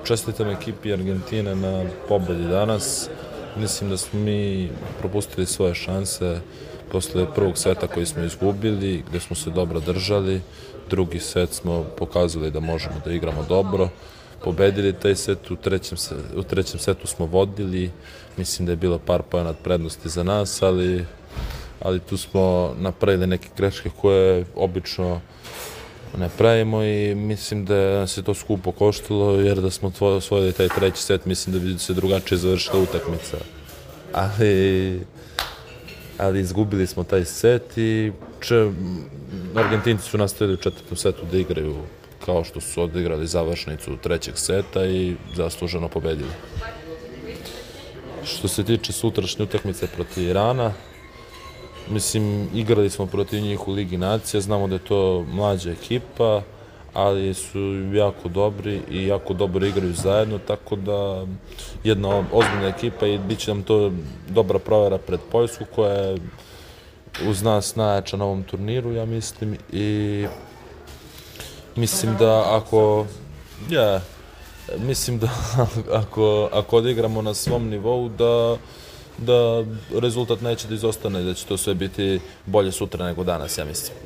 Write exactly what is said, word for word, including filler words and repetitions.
čestitam ekipi Argentine na pobedi danas. Mislim da smo mi propustili svoje šanse posle prvog seta koji smo izgubili, gde smo se dobro držali. Drugi set smo pokazali da možemo da igramo dobro. Pobedili taj set, u trećem, u trećem setu smo vodili. Mislim da je bilo par poena prednosti za nas, ali, ali tu smo napravili neke greške koje obično ne pravimo i mislim da nas je to skupo koštilo, jer da smo osvojili taj treći set, mislim da bi se drugačije završila utakmica. Ali, ali izgubili smo taj set i če, Argentinci su nastavili u četvrtom setu da igraju kao što su odigrali završnicu trećeg seta i zasluženo pobedili. Što se tiče sutrašnje utakmice protiv Irana, mislim, igrali smo protiv njih u Ligi nacija, znamo da je to mlađa ekipa, ali su jako dobri i jako dobro igraju zajedno, tako da jedna ozbiljna ekipa i bit će nam to dobra provera pred Poljsku, koja je uz nas najjača na ovom turniru, ja mislim, i mislim da ako, ja, mislim da ako, ako odigramo na svom nivou, da da rezultat neće da izostane, da će to sve biti bolje sutra nego danas, ja mislim.